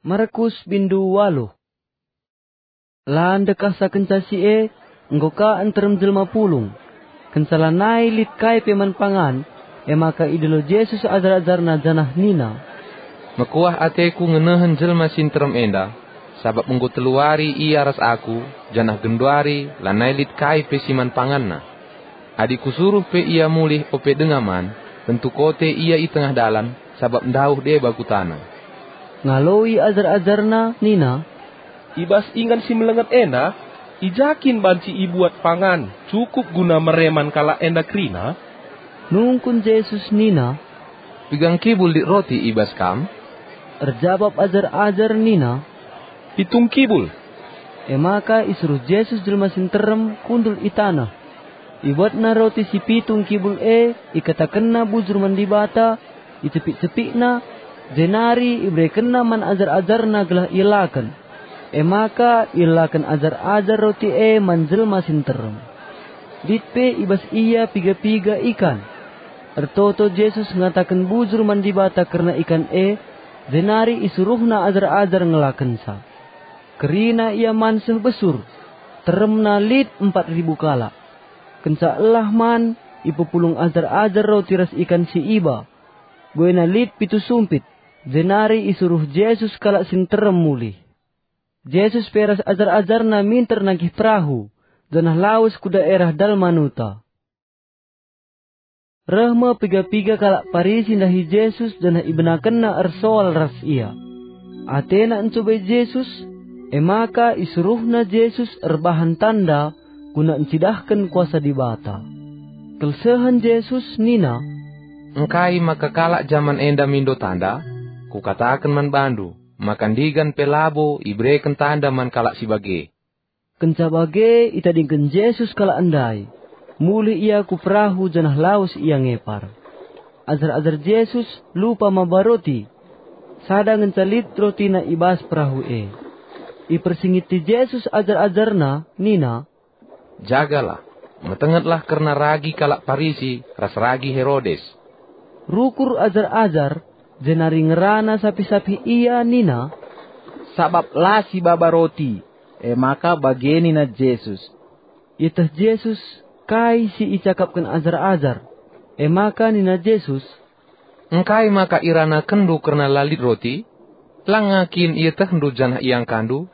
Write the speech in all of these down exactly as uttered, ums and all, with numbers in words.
Markus bindu waluh. La ndekahsa kenca si e, enggo ka nterem jelma pulung. Kenca lanai lit kai pe man pangan, e maka idilo Jesus ajar-ajarNa janah nina, "Mekuah ateKu ngenehen jelma si nterem enda, sabap enggo telu wari ia ras Aku, janah genduari lanai lit kai pe si man panganna. Adi Kusuruh pe ia mulih ope denga man, tentu kote ia i tengah dalan, sabap ndauh deba kutana." Ngaloi ajar-ajarNa nina, "I bas ingan si melenget enda, i ja kin banci ibuat pangan cukup guna mere man kalak enda kerina?" Nungkun Jesus nina, "Piga ngkibul lit roti i bas kam?" Erjabap ajar-ajar nina, "Pitung kibul." E maka isuruh Jesus jelma si nterem kundul i taneh. Ibuatna roti si pitung kibul e, ikatakenna bujur man Dibata, icepik-cepikna, jenari iberekenna man ajar-ajarNa gelah ielaken. E maka ielaken ajar-ajar roti e man jelma si nterem. Lit pe i bas ia piga-piga ikan. Ertoto Jesus ngataken bujur man Dibata kerna ikan e, jenari isuruhna ajar-ajar ngelakenca. Kerina ia man seh besur, teremna lit empat ribu kalak. Kenca elah man, ipepulung ajar-ajar roti ras ikan si iba. Buena lit pitu sumpit, jenari isuruh Jesus kalak si nterem mulih. Jesus pe ras ajar-ajarNa minter nangkih perahu, janah lawes ku daerah Dalmanuta. Reh me piga-piga kalak Parisi ndahi Jesus janah ibenakenna ersoal ras IA. Atena ncubai Jesus, e maka isuruhna Jesus erbahan tanda guna ncidahken kuasa Dibata. Kelsehen Jesus nina, "Engkai maka kalak jaman enda mindo tanda? Kukataken man bandu, maka ndigan pe labo ibereken tanda man kalak si bage." Kenca bage itadingken Jesus kalak ndai. Mulih ia ku perahu janah lawes ia ngepar. Ajar-ajar Jesus lupa maba roti. Sada ngenca lit rotina i bas perahu e. Ipersingeti Jesus ajar-ajarNa nina, "Jagalah, metengetlah kerna ragi kalak Parisi ras ragi Herodes." Rukur ajar-ajar, jenari ngerana sapih-sapih ia nina, "Sabap la sibaba roti." E maka bage nina Jesus. Ieteh Jesus kai si icakapken ajar-ajar. E maka nina Jesus, "Engkai maka iranakenndu kerna la lit roti? Langa kin ietehndu janah iangkandu?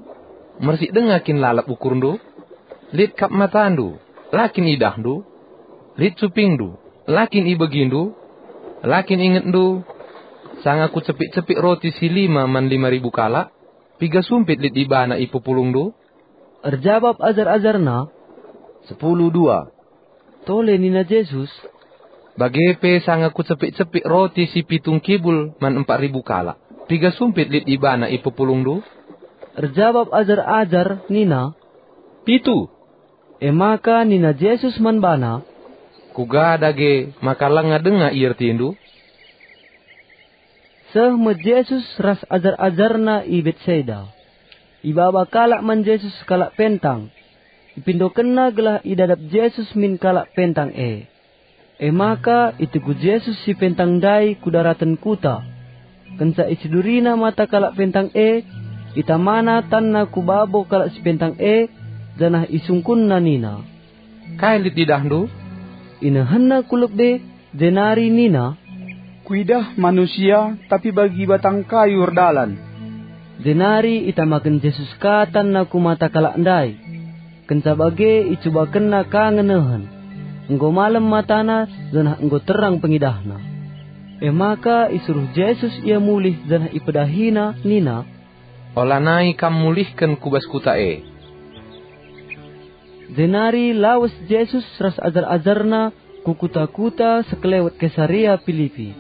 Mersik denga kin lalap ukurndu? Lit kap matandu, la kin idahndu? Lit cupingndu, la kin ibegindu? La kin ingetndu sanga kucepik-cepik roti si lima man lima ribu kalak? Piga sumpit lit ibana ipepulungndu?" Erjabap ajar-ajarNa, "Sepuluh dua." Tole nina Jesus, "Bage pe sanga kucepik-cepik roti si pitung kibul man empat ribu kalak. Piga sumpit lit ibana ipepulungndu?" Erjabap ajar-ajar nina, "Pitu." E maka nina Jesus man bana, "Kuga dage maka langa denga iertindu?" Seh me Jesus ras ajar-ajarNa i Betsaida. Ibaba kalak man Jesus kalak pentang. Ipindokenna gelah idadap Jesus min kalak pentang e. E maka itegu Jesus si pentang ndai ku daraten kuta. Kenca icidurina mata kalak pentang e, itamana tanna ku babo kalak si pentang e, janah isungkunna nina, "Kai lit idahndu?" Inehenna ku lebe, jenari nina, "Kuidah manusia, tapi bagi batang kayu erdalan." Jenari itamaken Jesus ka tanna ku mata kalak ndai. Kenca bage icubakenna ka ngenehen. Enggo malem matana, janah enggo terang pengidahna. E maka isuruh Jesus ia mulih janah ipedahina nina, "Olanai kam mulihken ku bas kuta e." Jenari lawes Jesus ras ajar-ajarNa ku kuta-kuta sekelewet Kesarea Pilipi.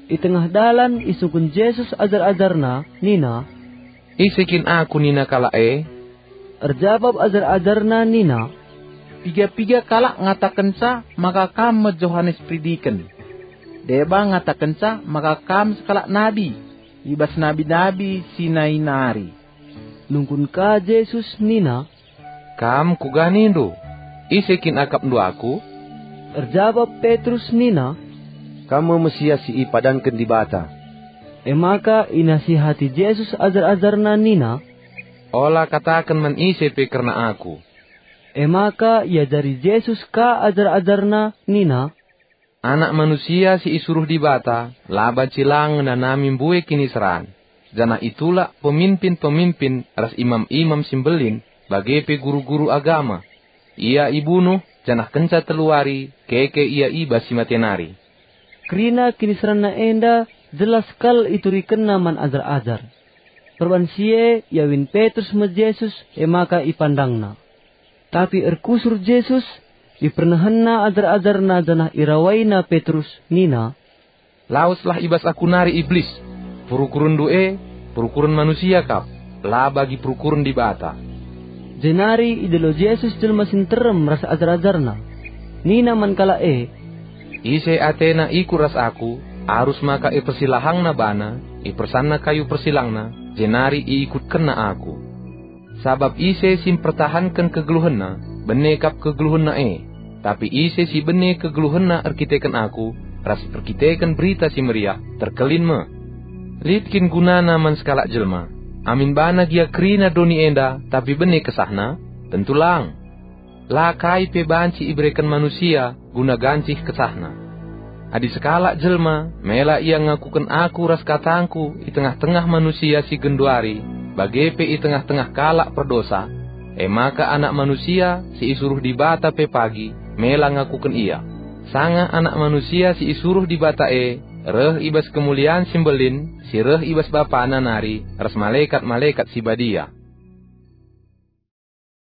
I tengah dalan isungkun Jesus ajar-ajarNa nina, "Ise kin Aku nina kalak e?" Erjabap ajar-ajarNa nina, "Piga-piga kalak ngatakenca maka Kam me Johanes Peridiken. Deba ngatakenca maka Kam sekalak nabi i bas nabi-nabi si nai nari." Nungkun ka Jesus nina, "Kam kuga nindu? Ise kin akapndu Aku?" Erjabap Petrus nina, "Kam me Mesias si ipadanken Dibata." E maka inasihati Jesus ajar-ajarNa nina, "Ola kataken man ise pe kerna Aku." E maka iajari Jesus ka ajar-ajarNa nina, "Anak Manusia si isuruh Dibata la banci lang ngenanami mbue kiniseran, janah itulak peminpin-peminpin ras imam-imam si mbelin, bage pe guru-guru agama. Ia ibunuh, janah kenca telu wari keke Ia i bas si mate nari." Kerina kiniseranNa enda jelas kal iturikenNa man ajar-ajar. Perban si e iawin Petrus me Jesus, e maka ipandangNa. Tapi erkusur Jesus, ipernehenNa ajar-ajarNa janah irawaina Petrus nina, "Laweslah i bas Aku nari, Iblis! Perukurenndu e, perukuren manusia kap, la bagi perukuren Dibata." Jenari idilo Jesus jelma si nterem ras ajar-ajarNa. Nina man kalak e, "Ise atena ikut ras Aku, arus maka ipersilahangna bana, ipersanna kayu persilangna, jenari iikutkenna Aku. Sabap ise si mpertahanken kegeluhenna, bene kap kegeluhenna e. Tapi ise si bene kegeluhenna erkiteken Aku ras erkiteken Berita Si Meriah, terkelin me. Lit kin gunana man sekalak jelma, amin bana gia kerina doni enda, tapi bene kesahna? Tentu lang. La kai pe banci ibereken manusia guna gancih kesahna. Adi sekalak jelma mela ia ngakuken Aku ras katangKu i tengah-tengah manusia si genduari, bage pe i tengah-tengah kalak perdosa, e maka Anak Manusia si isuruh Dibata pe pagi mela ngakuken Ia. Sanga Anak Manusia si isuruh Dibata e reh i bas kemulian si mbelin si reh i bas BapaNa nari ras malekat-malekat si badia.